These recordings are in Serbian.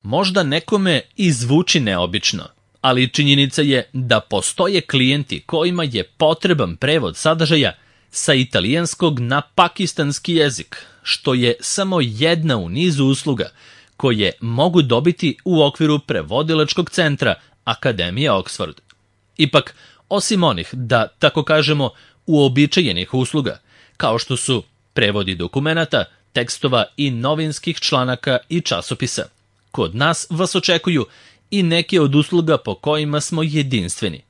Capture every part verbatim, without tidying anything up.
Možda nekome i zvuči neobično, ali činjenica je da postoje klijenti kojima je potreban prevod sadržaja sa italijanskog na pakistanski jezik, što je samo jedna u nizu usluga koje mogu dobiti u okviru prevodilačkog centra Akademije Oxford. Ipak, osim onih, da tako kažemo, uobičajenih usluga, kao što su prevodi dokumenata, tekstova i novinskih članaka i časopisa, kod nas vas očekuju i neke od usluga po kojima smo jedinstveni.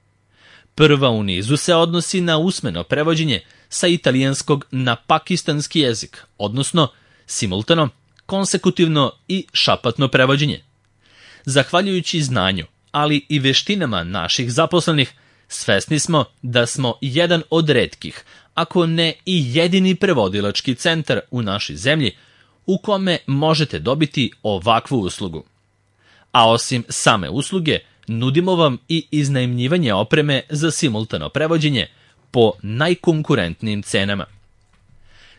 Prva u nizu se odnosi na usmeno prevođenje sa italijanskog na pakistanski jezik, odnosno simultano, konsekutivno i šapatno prevođenje. Zahvaljujući znanju, ali i veštinama naših zaposlenih, svesni smo da smo jedan od retkih, ako ne i jedini prevodilački centar u našoj zemlji u kome možete dobiti ovakvu uslugu. A osim same usluge, nudimo vam i iznajmljivanje opreme za simultano prevođenje po najkonkurentnijim cenama.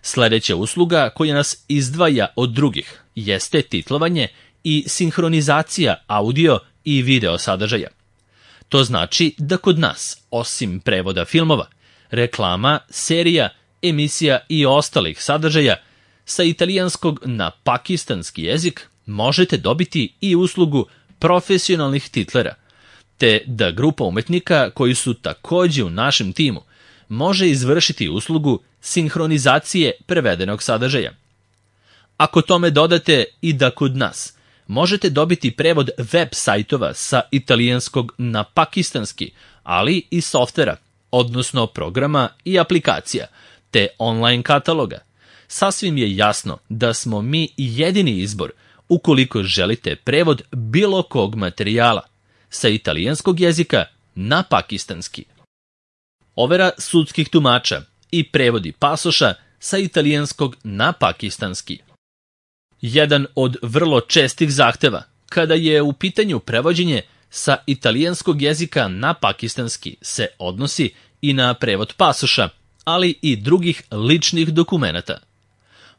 Sledeća usluga koja nas izdvaja od drugih jeste titlovanje i sinhronizacija audio i video sadržaja. To znači da kod nas, osim prevoda filmova, reklama, serija, emisija i ostalih sadržaja, sa italijanskog na pakistanski jezik možete dobiti i uslugu profesionalnih titlera, te da grupa umetnika koji su takođe u našem timu može izvršiti uslugu sinhronizacije prevedenog sadržaja. Ako tome dodate i da kod nas možete dobiti prevod web sajtova sa italijanskog na pakistanski, ali i softvera, odnosno programa i aplikacija, te online kataloga, sasvim je jasno da smo mi jedini izbor ukoliko želite prevod bilo kog materijala sa italijanskog jezika na pakistanski. Overa sudskih tumača i prevodi pasoša sa italijanskog na pakistanski. Jedan od vrlo čestih zahteva kada je u pitanju prevođenje sa italijanskog jezika na pakistanski se odnosi i na prevod pasoša, ali i drugih ličnih dokumenata.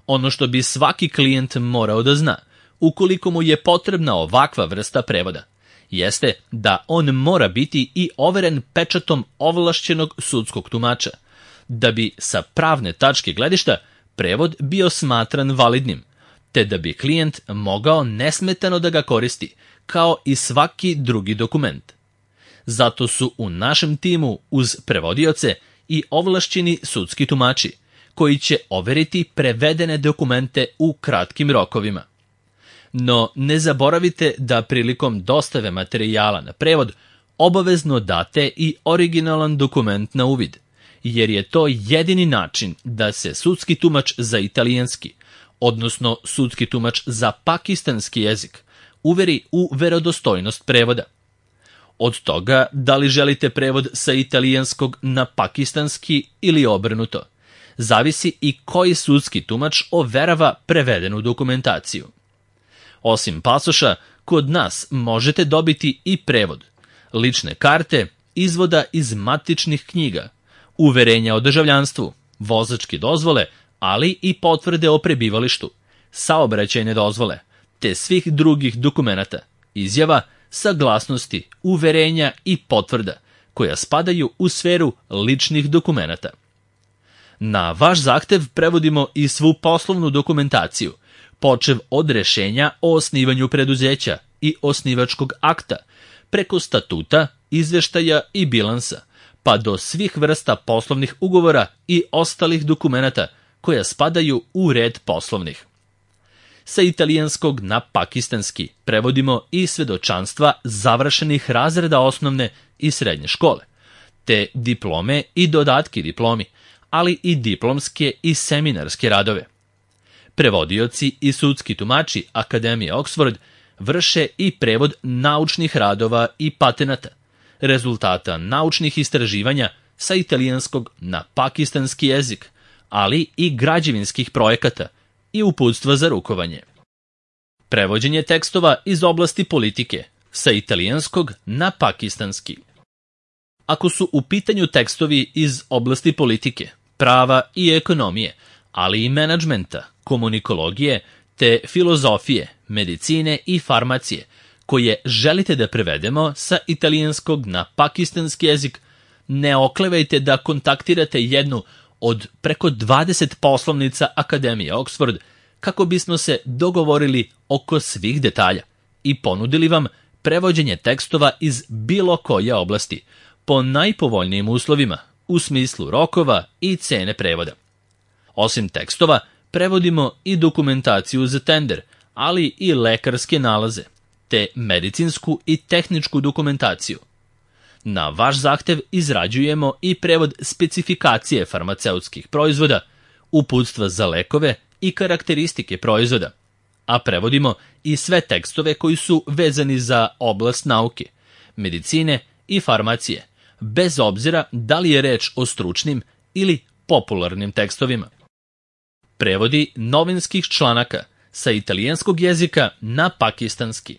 Ono što bi svaki klijent morao da zna, ukoliko mu je potrebna ovakva vrsta prevoda, jeste da on mora biti i overen pečatom ovlašćenog sudskog tumača, da bi sa pravne tačke gledišta prevod bio smatran validnim, te da bi klijent mogao nesmetano da ga koristi, kao i svaki drugi dokument. Zato su u našem timu uz prevodioce i ovlašćeni sudski tumači, koji će overiti prevedene dokumente u kratkim rokovima. No, ne zaboravite da prilikom dostave materijala na prevod obavezno date i originalan dokument na uvid, jer je to jedini način da se sudski tumač za italijanski, odnosno sudski tumač za pakistanski jezik, uveri u verodostojnost prevoda. Od toga da li želite prevod sa italijanskog na pakistanski ili obrnuto, zavisi i koji sudski tumač overava prevedenu dokumentaciju. Osim pasoša, kod nas možete dobiti i prevod, lične karte, izvoda iz matičnih knjiga, uverenja o državljanstvu, vozačke dozvole, ali i potvrde o prebivalištu, saobraćajne dozvole, te svih drugih dokumenata, izjava, saglasnosti, uverenja i potvrda, koja spadaju u sferu ličnih dokumenata. Na vaš zahtev prevodimo i svu poslovnu dokumentaciju, počev od rešenja o osnivanju preduzeća i osnivačkog akta, preko statuta, izveštaja i bilansa, pa do svih vrsta poslovnih ugovora i ostalih dokumenata koja spadaju u red poslovnih. Sa italijanskog na pakistanski prevodimo i svedočanstva završenih razreda osnovne i srednje škole, te diplome i dodatke diplomi, ali i diplomske i seminarske radove. Prevodioci i sudski tumači Akademije Oxford vrše i prevod naučnih radova i patenata, rezultata naučnih istraživanja sa italijanskog na pakistanski jezik, ali i građevinskih projekata i uputstva za rukovanje. Prevođenje tekstova iz oblasti politike sa italijanskog na pakistanski. Ako su u pitanju tekstovi iz oblasti politike, prava i ekonomije, ali i menadžmenta, komunikologije te filozofije, medicine i farmacije, koje želite da prevedemo sa italijanskog na pakistanski jezik, ne oklevajte da kontaktirate jednu od preko dvadeset poslovnica Akademije Oxford kako bismo se dogovorili oko svih detalja i ponudili vam prevođenje tekstova iz bilo koje oblasti po najpovoljnijim uslovima u smislu rokova i cene prevoda. Osim tekstova, prevodimo i dokumentaciju za tender, ali i lekarske nalaze, te medicinsku i tehničku dokumentaciju. Na vaš zahtev izrađujemo i prevod specifikacije farmaceutskih proizvoda, uputstva za lekove i karakteristike proizvoda, a prevodimo i sve tekstove koji su vezani za oblast nauke, medicine i farmacije, bez obzira da li je reč o stručnim ili popularnim tekstovima. Prevodi novinskih članaka sa italijanskog jezika na pakistanski.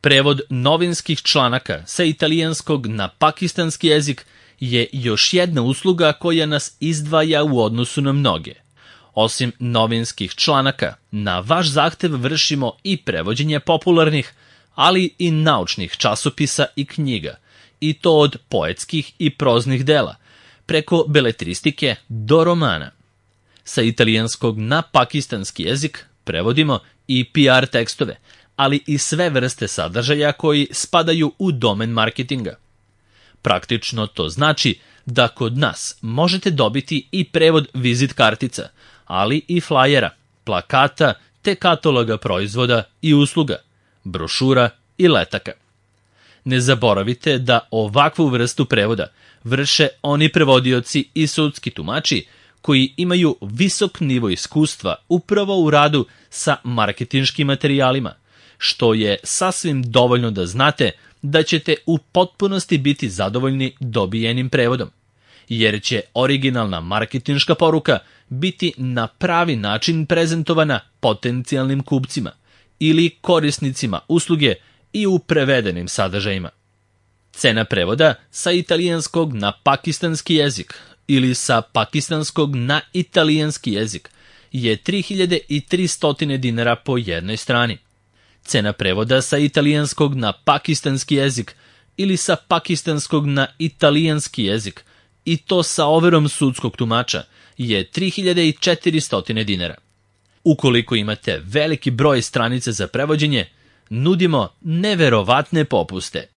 Prevod novinskih članaka sa italijanskog na pakistanski jezik je još jedna usluga koja nas izdvaja u odnosu na mnoge. Osim novinskih članaka, na vaš zahtev vršimo i prevođenje popularnih, ali i naučnih časopisa i knjiga, i to od poetskih i proznih dela, preko beletristike do romana. Sa italijanskog na pakistanski jezik prevodimo i P R tekstove, ali i sve vrste sadržaja koji spadaju u domen marketinga. Praktično to znači da kod nas možete dobiti i prevod vizit kartica, ali i flajera, plakata te kataloga proizvoda i usluga, brošura i letaka. Ne zaboravite da ovakvu vrstu prevoda vrše oni prevodioci i sudski tumači koji imaju visok nivo iskustva upravo u radu sa marketinškim materijalima, što je sasvim dovoljno da znate da ćete u potpunosti biti zadovoljni dobijenim prevodom, jer će originalna marketinška poruka biti na pravi način prezentovana potencijalnim kupcima ili korisnicima usluge i u prevedenim sadržajima. Cena prevoda sa italijanskog na pakistanski jezik ili sa pakistanskog na italijanski jezik je tri hiljade tristo dinara po jednoj strani. Cena prevoda sa italijanskog na pakistanski jezik ili sa pakistanskog na italijanski jezik, i to sa overom sudskog tumača, je tri hiljade četiristo dinara. Ukoliko imate veliki broj stranica za prevođenje, nudimo neverovatne popuste.